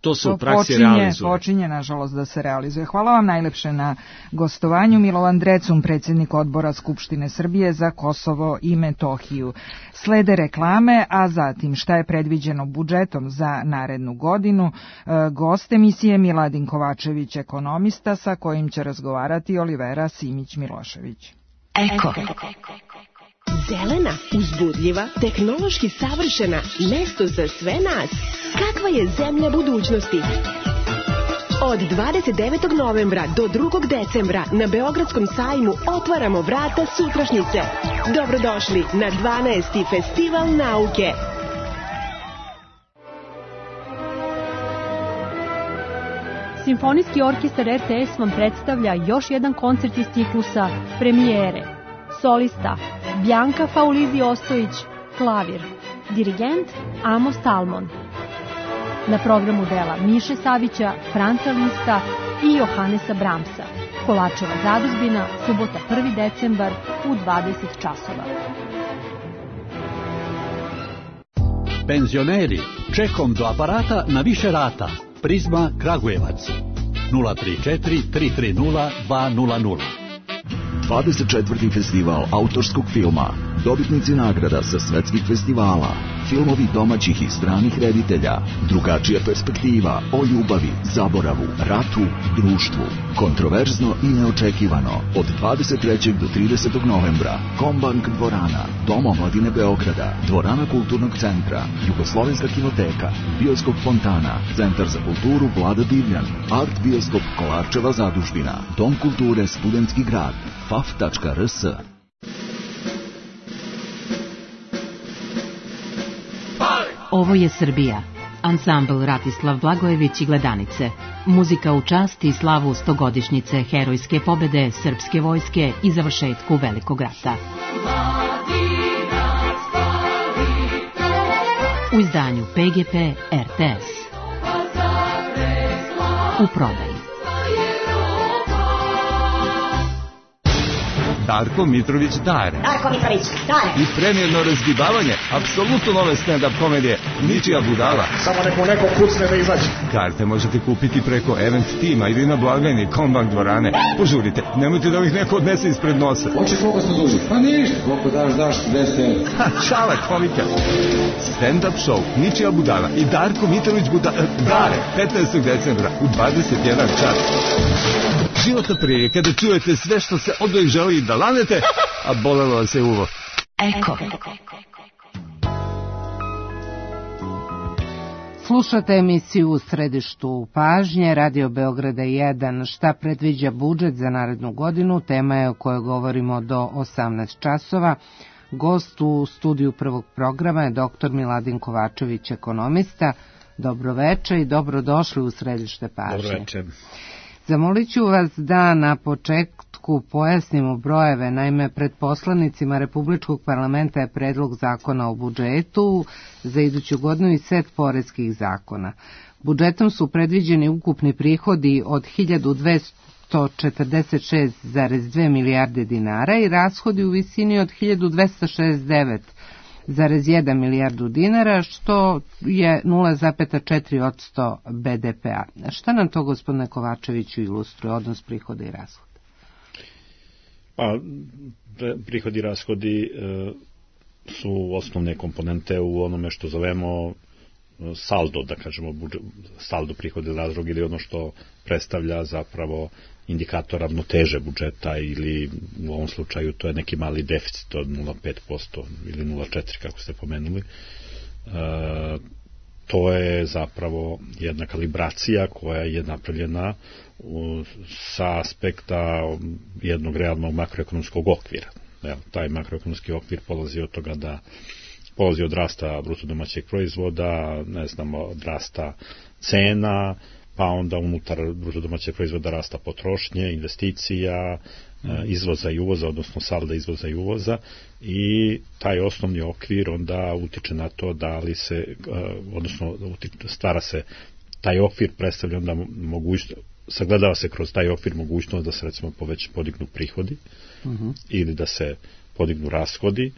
to se to u praksi počinje, realizuje. Počinje, nažalost, da se realizuje. Hvala vam najlepše na gostovanju. Milovan Drecun, predsjednik odbora Skupštine Srbije za Kosovo i Metohiju. Slede reklame, a zatim šta je predviđeno budžetom za narednu godinu. Gost emisije Miladin Kovačević, ekonomista, sa kojim će razgovarati Olivera Simić-Milošević. Eko. Zelena, uzbudljiva, tehnološki savršena, mesto za sve nas. Kakva je zemlja budućnosti? Od dvadeset devetog novembra do drugog decembra na Beogradskom sajmu otvaramo vrata sutrašnjice. Dobrodošli na dvanaesti Festival nauke. Simfonijski orkestar er te es vam predstavlja još jedan koncert iz ciklusa Premijere. Solista Bjanka Faulizi Ostojić, klavir. Dirigent Amos Talmon. Na programu dela Miše Savića, Franca Lista i Johanesa Bramsa. Kolačeva zadužbina, subota prvi decembar u dvadeset časova. Penzioneri, čekom do aparata na više rata. Prizma Kragujevac nula tri četiri tri tri nula dva nula nula. dvadeset četvrti festival autorskog filma. Dobitnici nagrada sa svetskih festivala. Filmovi domaćih i stranih reditelja. Drugačija perspektiva o ljubavi, zaboravu, ratu, društvu. Kontroverzno i neočekivano. Od dvadeset trećeg do tridesetog novembra. Kombank dvorana, Dom omladine Beograda, Dvorana kulturnog centra, Jugoslovenska kinoteka, Bioskop Fontana, Centar za kulturu Vlada Divljan, Art Bioskop Kolarčeva zadužbina, Dom kulture Studentski grad, faf tačka er es. Ovo je Srbija. Ansambl Ratislav Blagojević i Gledanice. Muzika u čast i slavu stogodišnjice herojske pobede srpske vojske i završetku Velikog rata. U izdanju pe ge pe er te es. U prodaji. Darko Mitrović Dare. Darko Mitrović Dare. I premijerno razgibavanje, apsolutno nove stand-up komedije, Ničija budala. Samo neko neko kucne da izađe. Karte možete kupiti preko Event Tima ili na blagajni Kombank dvorane. Požurite, nemojte da ovih neko odnese ispred nosa. Hoćeš koliko se duži? Pa ništa, koliko daš, daš, deset. Ha, šala komika. Stand-up show, Ničija budala i Darko Mitrović Buda... Dare, petnaestog decembra u dvadeset jedan čas. Životna prilika kada čujete sve što se odvojih želi da lanete, a bolelo vas je uvo. Eko. Slušate emisiju U središtu pažnje, Radio Beograda jedan. Šta predviđa budžet za narednu godinu? Tema je o kojoj govorimo do osamnaest časova. Gost u studiju prvog programa je doktor Miladin Kovačević, ekonomista. Dobroveče i dobrodošli u središte pažnje. Dobroveče. Zamolit ću vas da na početku pojasnimo brojeve. Naime, pred poslanicima Republičkog parlamenta je predlog zakona o budžetu za iduću godinu i set poreskih zakona. Budžetom su predviđeni ukupni prihodi od hiljadu dvesta četrdeset šest zarez dve milijarde dinara i rashodi u visini od hiljadu dvesta šezdeset devet zarez jedan milijardu dinara, što je nula zarez četiri posto be de pe-a. Šta nam to, gospodine Kovačeviću, ilustruje odnos prihoda i rashoda? Pa, prihodi i rashodi e, su osnovne komponente u onome što zovemo saldo, da kažemo, budžet, saldo prihoda i rashoda, ili ono što predstavlja zapravo indikator ravnoteže budžeta, ili u ovom slučaju to je neki mali deficit od nula zarez pet posto ili nula zarez četiri kako ste pomenuli. E, to je zapravo jedna kalibracija koja je napravljena u, sa aspekta jednog realnog makroekonomskog okvira. Evo, taj makroekonomski okvir polazi od toga da polazi od rasta bruto domaćeg proizvoda, ne znam, od rasta cena, pa onda unutar bruto domaćeg proizvoda rasta potrošnje, investicija, izvoza i uvoza, odnosno salda izvoza i uvoza, i taj osnovni okvir onda utiče na to da li se, odnosno stvara se, taj okvir predstavlja onda mogućnost, sagledava se kroz taj okvir mogućnost da se recimo poveć podignu prihodi uh-huh. ili da se podignu rashodi.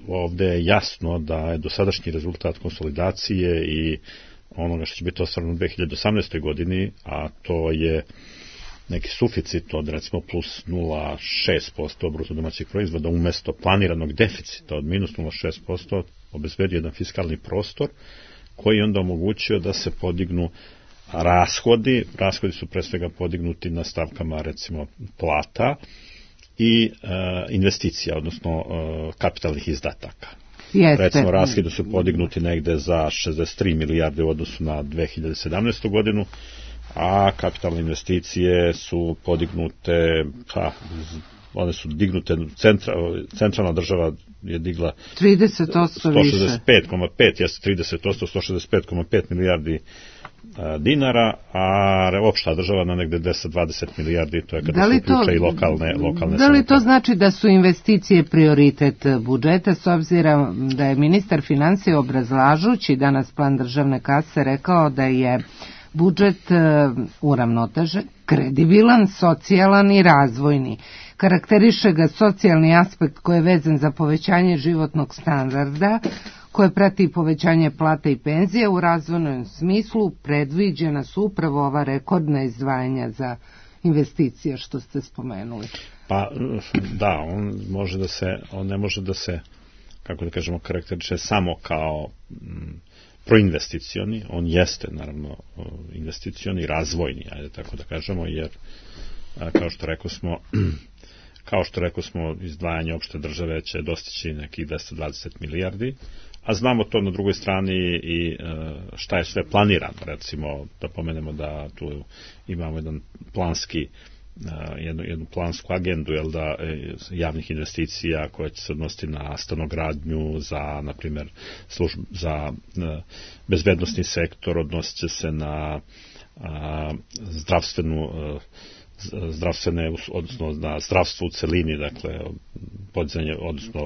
Ovde je jasno da je dosadašnji rezultat konsolidacije i onoga što će biti ostvareno u dve hiljade osamnaestoj godini, a to je neki suficit od recimo plus nula zarez šest posto bruto domaćeg proizvoda umesto planiranog deficita od minus nula zarez šest posto, obezbedio jedan fiskalni prostor koji onda omogućio da se podignu rashodi. Rashodi su pre svega podignuti na stavkama recimo plata i e, investicija, odnosno e, kapitalnih izdataka. Jeste. Recimo, rashodi su podignuti negde za šezdeset tri milijarde u odnosu na dve hiljade sedamnaestu godinu, a kapitalne investicije su podignute, pa, one su dignute, centra, centralna država je digla trideset posto više. sto šezdeset pet zarez pet, jeste trideset posto, sto šezdeset pet zarez pet milijardi a, dinara, a opšta država na negde deset do dvadeset milijardi, to je kada se uključa i lokalne, lokalne Da li to znači da su investicije prioritet budžeta, s obzirom da je ministar finansija obrazlažući danas plan državne kase rekao da je budžet uravnotežen, kredibilan, socijalan i razvojni. Karakteriše ga socijalni aspekt koji je vezan za povećanje životnog standarda, koje prati povećanje plata i penzija. U razvojnom smislu predviđena su upravo ova rekordna izdvajanja za investicije što ste spomenuli. Pa da, on može da se, on ne može da se, kako da kažemo, karakteriše samo kao m, proinvesticioni, on jeste naravno investicioni, razvojni, ajde tako da kažemo, jer kao što rekao smo, kao što rekao smo, izdvajanje opšte države će dostići nekih dvesta dvadeset milijardi, a znamo to na drugoj strani i šta je sve planirano. Recimo, da pomenemo da tu imamo jedan planski, jednu, jednu plansku agendu, jel da, javnih investicija koja će se odnositi na stanogradnju, za, na primjer, služb, za bezbednosni sektor, odnosit će se na a, zdravstvenu zdravstvene, odnosno na zdravstvo u celini, dakle, podizanje, odnosno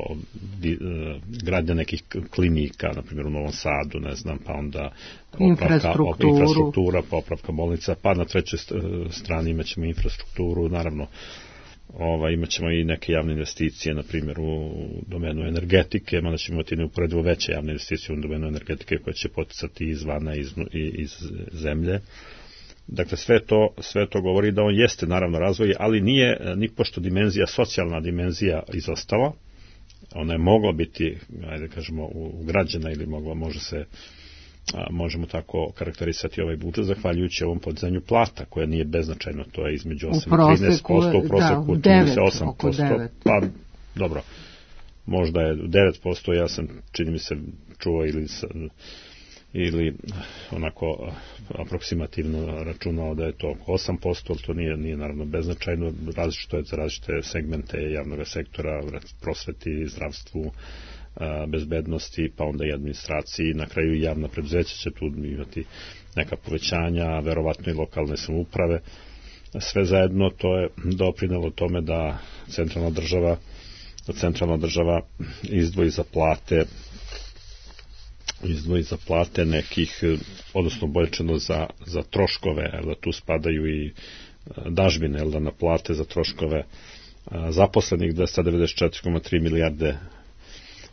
gradnja nekih klinika, na primjer u Novom Sadu, ne znam, pa onda popravka, infrastruktura, popravka bolnica, pa na trećoj strani imat ćemo infrastrukturu, naravno, Ova, imat ćemo i neke javne investicije, na primjer u domenu energetike, mada ćemo imati neuporedivo veće javne investicije u domenu energetike koje će poticati izvana iz, iz zemlje. Dakle, sve to, sve to govori da on jeste naravno razvoj, ali nije ni pošto dimenzija, socijalna dimenzija izostala. Ona je mogla biti, ajde kažemo, ugrađena ili mogla, može se, možemo tako karakterisati ovaj budžet, zahvaljujući ovom podizanju plata, koja nije beznačajno, to je između osam i trinaest posto, u proseku čini se osam posto, pa dobro, možda je devet posto, ja sam, čini mi se, čuo ili ili onako aproksimativno računao da je to osam posto, ali to nije, nije naravno beznačajno, različito je za različite segmente javnog sektora, prosveti, zdravstvu, bezbednosti, pa onda i administraciji, na kraju i javna preduzeća će tu imati neka povećanja, verovatno i lokalne samouprave. Sve zajedno to je doprinelo tome da centralna država da centralna država izdvoji za plate izdvoji za plate nekih, odnosno boljčeno za, za troškove, jer da tu spadaju i dažbine, jer da na plate za troškove zaposlenih dvesta devedeset četiri zarez tri milijarde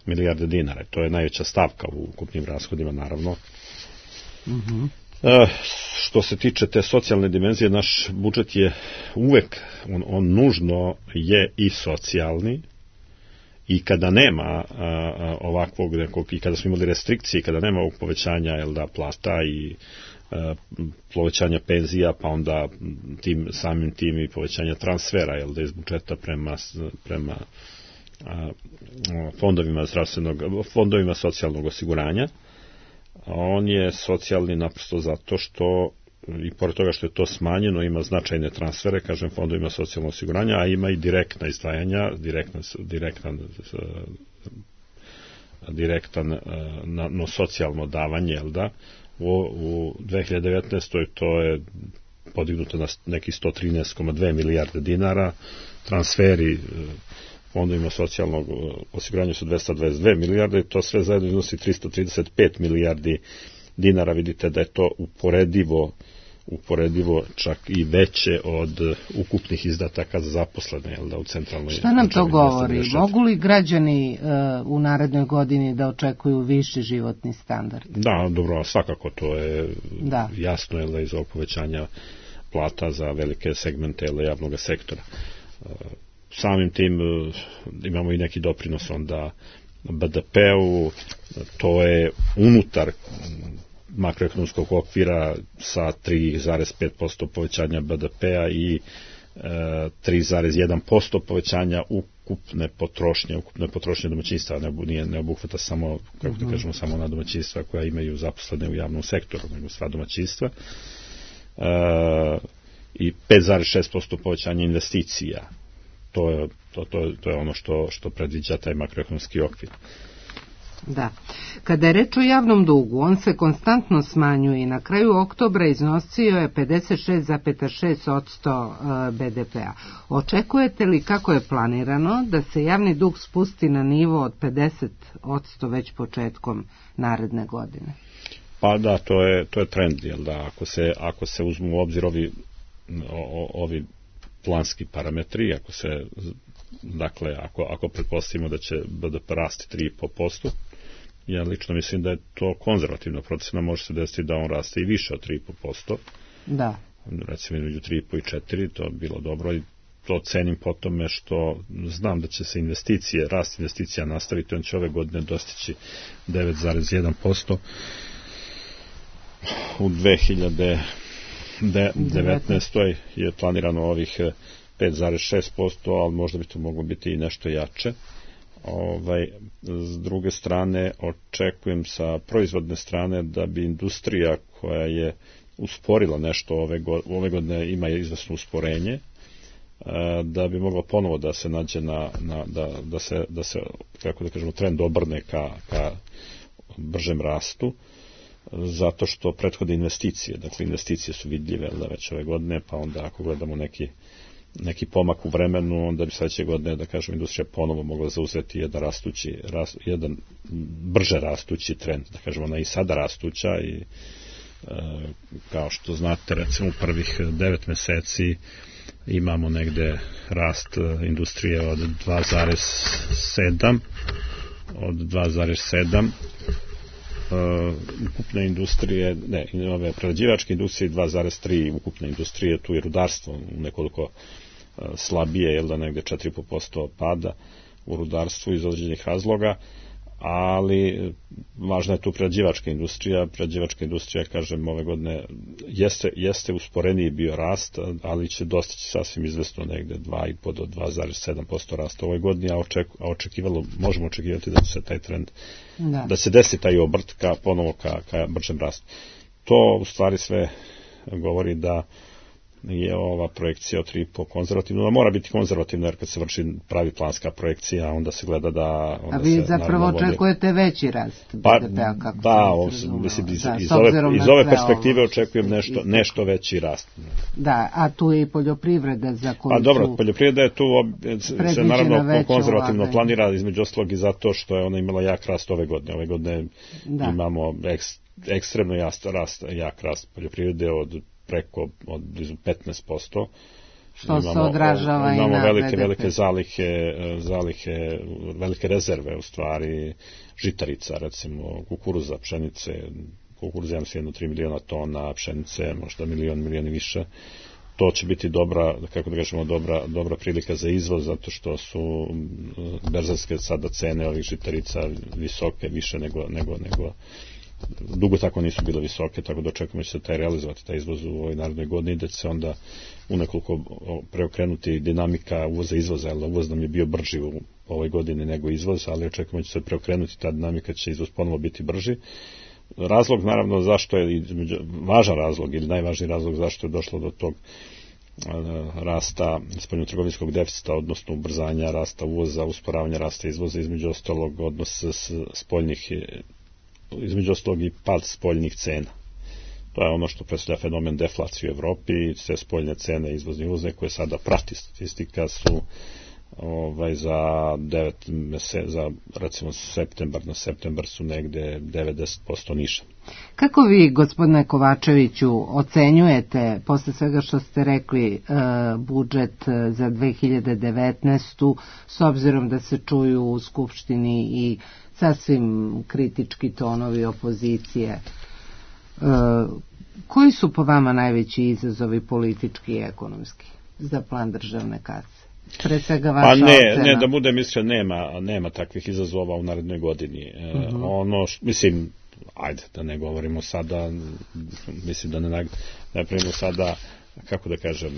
milijarde dinara. To je najveća stavka u ukupnim rashodima, naravno. Mm-hmm. E, što se tiče te socijalne dimenzije, naš budžet je uvek, on, on nužno je i socijalni, i kada nema a, a, ovakvog nekog, i kada smo imali restrikcije, kada nema ovog povećanja, jel da, plata i a, povećanja penzija, pa onda tim, samim tim i povećanja transfera, jel da, iz budžeta prema, prema a, fondovima zdravstvenog, fondovima socijalnog osiguranja, on je socijalni naprosto zato što, i pored toga što je to smanjeno, ima značajne transfere, kažem, fondovima socijalnog osiguranja, a ima i direktna izdvajanja, direktna, direktan, direktan na, no socijalno davanje, jel da, u, u dve hiljade devetnaestoj to je podignuto na nekih sto trinaest zarez dve milijarde dinara, transferi fondovima socijalnog osiguranja su dvesta dvadeset dve milijarde, to sve zajedno iznosi tristo trideset pet milijardi dinara. Vidite da je to uporedivo, uporedivo čak i veće od ukupnih izdataka za zaposlene, jel da, u centralnoj. Šta nam to govori? Mogu li građani uh, u narednoj godini da očekuju viši životni standard? Da, dobro, svakako to je da. jasno, jel da, iz ovog povećanja plata za velike segmente, jel da, javnog sektora. Uh, samim tim uh, imamo i neki doprinos onda be de pe-u, to je unutar makroekonomskog okvira sa tri zarez pet posto povećanja be de pe-a i e, tri zarez jedan posto povećanja ukupne potrošnje, ukupne potrošnje domaćinstva, ne, nije, ne obuhvata samo, kako da kažemo, samo na domaćinstva koja imaju zaposlene u javnom sektoru, nego sva domaćinstva, e, i pet zarez šest posto povećanja investicija. To je, to, to, to je ono što, što predviđa taj makroekonomski okvir. Da. Kada je reč o javnom dugu, on se konstantno smanjuje i na kraju oktobra iznosio je pedeset šest zarez šest posto be de pe-a. Očekujete li, kako je planirano, da se javni dug spusti na nivo od pedeset posto već početkom naredne godine? Pa da, to je, to je trend, jel da, ako se, ako se uzmu u obzir ovi, o, ovi planski parametri, ako se, dakle, ako, ako pretpostavimo da će be de pe rasti tri zarez pet posto, ja lično mislim da je to konzervativna procena, može se desiti da on raste i više od tri zarez pet posto. Da. Recimo među tri zarez pet i četiri, to bi bilo dobro, i to cenim po tome što znam da će se investicije, rast investicija nastaviti, on će ove godine dostići devet zarez jedan posto. U dve hiljade devetnaestoj je planirano ovih pet zarez šest posto, ali možda bi to moglo biti i nešto jače. Ovaj, s druge strane, očekujem sa proizvodne strane da bi industrija koja je usporila nešto ove godine, ove godine ima izvesno usporenje, da bi mogla ponovo da se nađe na, na da, da se, da se, kako da kažemo, trend obrne ka, ka bržem rastu, zato što prethode investicije, dakle investicije su vidljive da već ove godine, pa onda ako gledamo neki, neki pomak u vremenu, onda bi sledeće godine, da kažem, industrija ponovo mogla zauzeti jedan rastući, rast, jedan brže rastući trend, da kažemo, ona i sada rastuća i e, kao što znate, recimo u prvih devet meseci imamo negde rast industrije od dva zarez sedam, od dva zarez sedam, Uh, ukupne industrije, ne, ove prerađivačke industrije dva zarez tri, ukupne industrije, tu je rudarstvo u nekoliko uh, slabije, jel da negde četiri zarez pet posto pada u rudarstvu iz određenih razloga, ali važna je tu prerađivačka industrija. Prerađivačka industrija, kažem, ove godine jeste, jeste usporeniji bio rast, ali će dostići sasvim izvesno negde dva i po do dva zarez sedam posto rasta ove godine, a, oček, a očekivalo, možemo očekivati da će se taj trend, da, da se desi taj obrt ka, ponovo ka, ka bržem rastu. To u stvari sve govori da je ova projekcija od tri i po konzervativna, da mora biti konzervativna, jer kad se vrši pravi planska projekcija, onda se gleda da... Onda a vi se, zapravo očekujete veći rast pa, B D P-a, kako da, ovo, mislim, iz, da, iz ove, iz ove perspektive ovo, očekujem nešto, nešto veći rast. Da, a tu je i poljoprivreda za koju a dobro, poljoprivreda je tu se naravno konzervativno ulaganje. Planira, između ostalog i zato što je ona imala jak rast ove godine. Ove godine da. Imamo eks, ekstremno rast, rast, jak rast poljoprivrede od preko od blizu petnaest posto. Što imamo, se odražava imamo i na velike, B D P. velike zalihe, zalihe, velike rezerve u stvari žitarica, recimo kukuruza, pšenice, kukuruz ja mislim jedno tri miliona tona, pšenice možda milion, milion i više. To će biti dobra, kako da kažemo, dobra, dobra prilika za izvoz, zato što su berzanske sada cene ovih žitarica visoke, više nego, nego, nego dugo tako nisu bile visoke, tako da očekujemo da će se taj realizovati, taj izvoz u ovoj narednoj godini, da će se onda u nekoliko preokrenuti dinamika uvoza i izvoza, jer uvoz nam je bio brži u ovoj godini nego izvoz, ali očekujemo da će se preokrenuti ta dinamika, će izvoz ponovo biti brži. Razlog, naravno, zašto je, važan razlog ili najvažniji razlog zašto je došlo do tog rasta spoljnotrgovinskog deficita, odnosno ubrzanja rasta uvoza, usporavanja rasta izvoza, između ostalog odnos spoljnih između ostalog i pad spoljnih cena. To je ono što predstavlja fenomen deflacije u Evropi, i sve spoljne cene izvozne i uvozne koje sada prati statistika su ovaj, za devet meseci, za recimo septembar na septembar su negde devedeset posto niže. Kako vi, gospodine Kovačeviću, ocenjujete, posle svega što ste rekli, budžet za dve hiljade devetnaestu, s obzirom da se čuju u Skupštini i sasvim kritički tonovi opozicije, koji su po vama najveći izazovi politički i ekonomski za plan državne kase? Pre svega vaša pa ne, ocena. Ne, da budem iskren, nema, nema takvih izazova u narednoj godini. Uh-huh. Ono, š, mislim, ajde, da ne govorimo sada, mislim da ne, ne primimo sada, kako da kažem,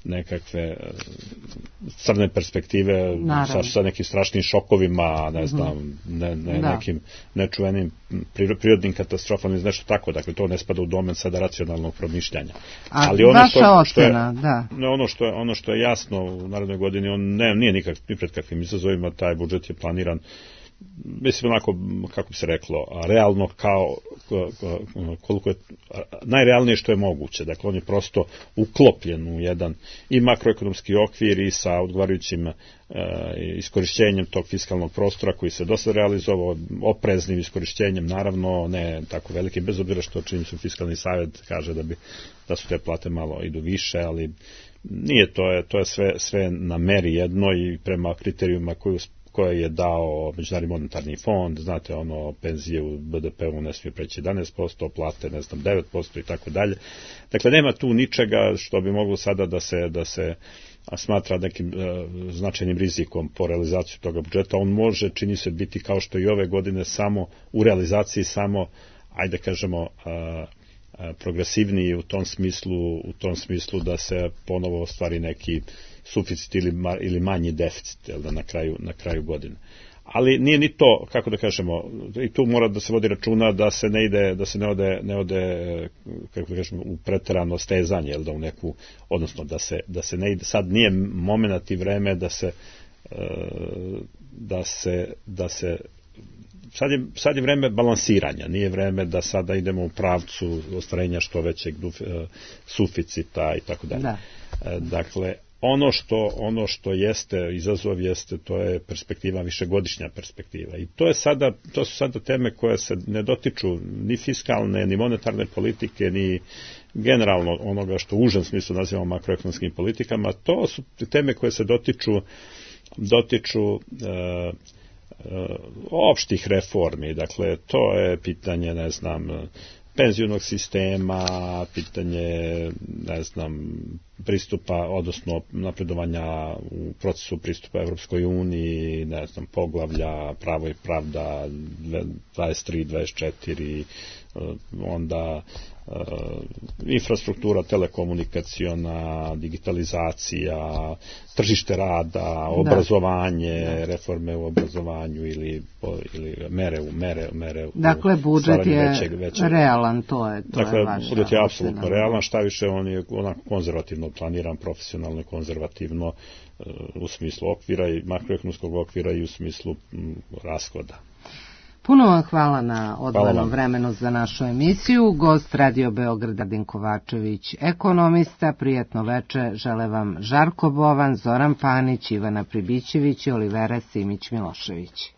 nekakve crne perspektive sa, sa nekim strašnim šokovima, ne znam, ne, ne, nekim nečuvenim prirodnim katastrofama ili nešto tako, dakle to ne spada u domen sada racionalnog promišljanja. A ali ono što, što je, da. ono što je ono što je jasno u narednoj godini, on ne, nije nikak ni pred kakvim izazovima, taj budžet je planiran, mislim onako, kako bi se reklo, realno kao koliko je najrealnije što je moguće. Dakle, on je prosto uklopljen u jedan i makroekonomski okvir i sa odgovarajućim e, iskorišćenjem tog fiskalnog prostora koji se dosta realizovao, opreznim iskorišćenjem, naravno ne tako veliki, bez obzira što čini su fiskalni savjet kaže da bi da su te plate malo idu više, ali nije, to je, to je sve, sve na meri jedno i prema kriterijuma koju koje je dao Međunarodni monetarni fond, znate, ono, penzije u B D P-u ne smije preći jedanaest posto, plate, ne znam, devet posto i tako dalje. Dakle, nema tu ničega što bi moglo sada da se, da se smatra nekim e, značajnim rizikom po realizaciju toga budžeta. On može, čini se, biti kao što i ove godine samo u realizaciji samo, ajde kažemo, a, a, progresivniji u tom smislu, u tom smislu da se ponovo ostvari neki suficit ili, ili manji deficit, jel da, na kraju, na kraju godine. Ali nije ni to, kako da kažemo, i tu mora da se vodi računa da se ne ide, da se ne ode, ne ode kako da kažemo, u preterano stezanje, jel da, u neku, odnosno da se, da se ne ide, sad nije momenat i vreme da se, da se, da se Sad je, sad je vreme balansiranja, nije vreme da sada idemo u pravcu ostvarenja što većeg suficita i tako dalje. Dakle, ono što, ono što jeste izazov jeste, to je perspektiva, višegodišnja perspektiva. I to je sada, to su sada teme koje se ne dotiču ni fiskalne, ni monetarne politike, ni generalno onoga što u užem smislu nazivamo makroekonomskim politikama. To su teme koje se dotiču, dotiču e, opštih reformi, dakle to je pitanje, ne znam, penzionog sistema, pitanje, ne znam, pristupa, odnosno napredovanja u procesu pristupa Evropskoj uniji, ne znam, poglavlja, pravo i pravda, dvadeset tri, dvadeset četiri, onda uh, infrastruktura telekomunikaciona, digitalizacija, tržište rada, obrazovanje, da. reforme u obrazovanju ili, ili mere u mere, mere dakle, budžet je većeg, većeg. realan, to je, to dakle, je vaša. Budžet je apsolutno realan, šta više on je onako konzervativno planiran, profesionalno i konzervativno uh, u smislu okvira i makroekonomskog okvira i u smislu m, rashoda. Puno vam hvala na odvojenom vremenu za našu emisiju. Gost Radio Beograda Din Kovačević, ekonomista. Prijatno veče žele vam Žarko Bovan, Zoran Panić, Ivana Pribićević i Olivera Simić Milošević.